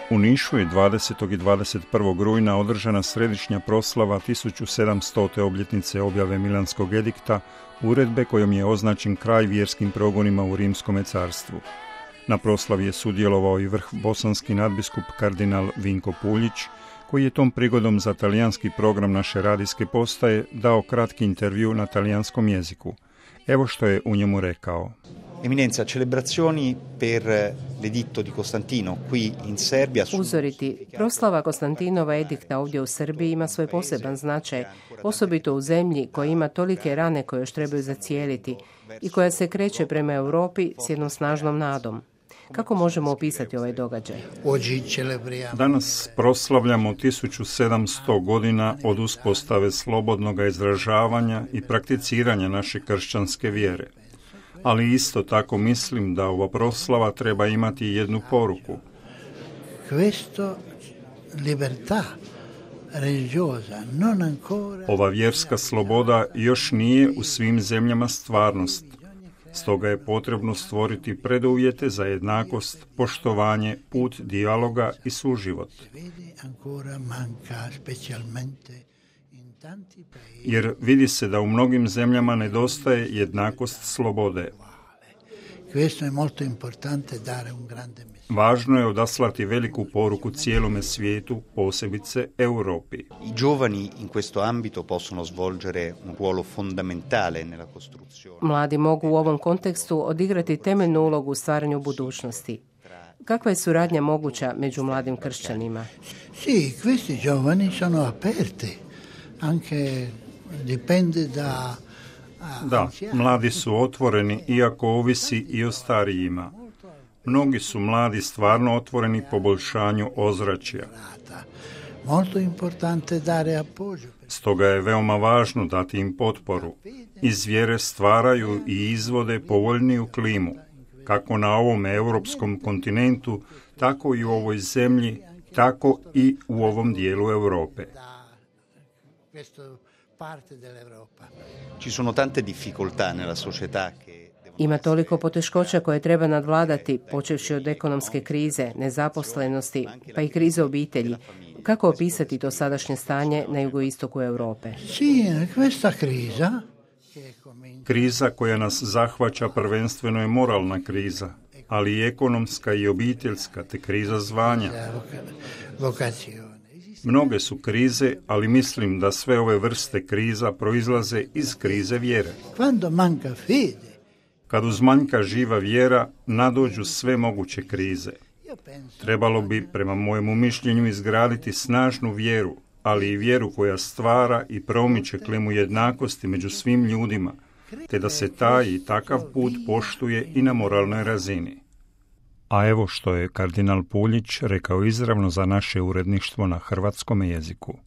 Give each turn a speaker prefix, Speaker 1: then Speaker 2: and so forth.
Speaker 1: U Nišu je 20. i 21. rujna održana središnja proslava 1700. obljetnice objave Milanskog edikta, uredbe kojom je označen kraj vjerskim progonima u Rimskome carstvu. Na proslavi je sudjelovao i vrh bosanski nadbiskup kardinal Vinko Puljić, koji je tom prigodom za talijanski program naše radijske postaje dao kratki intervju na talijanskom jeziku. Evo što je u njemu rekao.
Speaker 2: Eminenza, celebrazioni per l'editto di Costantino qui in Serbia.
Speaker 3: Uzoriti, proslava Konstantinova edikta ovdje u Srbiji ima svoj poseban značaj, osobito u zemlji koja ima tolike rane koje još trebaju zacijeliti i koja se kreće prema Europi s jednom snažnom nadom. Kako možemo opisati ovaj događaj?
Speaker 1: Danas proslavljamo 1700 godina od uspostave slobodnog izražavanja i prakticiranja naše kršćanske vjere. Ali isto tako mislim da ova proslava treba imati jednu poruku. Ova vjerska sloboda još nije u svim zemljama stvarnost. Stoga je potrebno stvoriti preduvjete za jednakost, poštovanje, put dijaloga i suživot. Jer vidi se da u mnogim zemljama nedostaje jednakost slobode. Važno je odaslati veliku poruku cijelome svijetu, posebice Europi.
Speaker 2: I giovani in questo ambito possono svolgere un ruolo fondamentale nella costruzione.
Speaker 3: Mladi mogu u ovom kontekstu odigrati temeljnu ulogu u stvaranju budućnosti. Kakva je suradnja moguća među mladim kršćanima?
Speaker 4: Sì, questi giovani sono aperti. Anche dipende da
Speaker 1: Da, mladi su otvoreni, iako ovisi i o starijima. Mnogi su mladi stvarno otvoreni poboljšanju ozračja. Stoga je veoma važno dati im potporu. Iz vjere stvaraju i izvode povoljniju klimu, kako na ovom europskom kontinentu, tako i u ovoj zemlji, tako i u ovom dijelu Europe.
Speaker 2: Ci sono tante difficoltà nella società che
Speaker 3: Ima toliko poteškoća koje treba nadvladati, počevši od ekonomske krize, nezaposlenosti, pa i krize obitelji. Kako opisati to sadašnje stanje na jugoistoku Europe?
Speaker 1: Kriza koja nas zahvaća prvenstveno je moralna kriza, ali i ekonomska i obiteljska, te kriza zvanja. Mnoge su krize, ali mislim da sve ove vrste kriza proizlaze iz krize vjere. Kad uzmanjka živa vjera, nadođu sve moguće krize. Trebalo bi, prema mojemu mišljenju, izgraditi snažnu vjeru, ali i vjeru koja stvara i promiče klimu jednakosti među svim ljudima, te da se taj i takav put poštuje i na moralnoj razini. A evo što je kardinal Puljić rekao izravno za naše uredništvo na hrvatskom jeziku.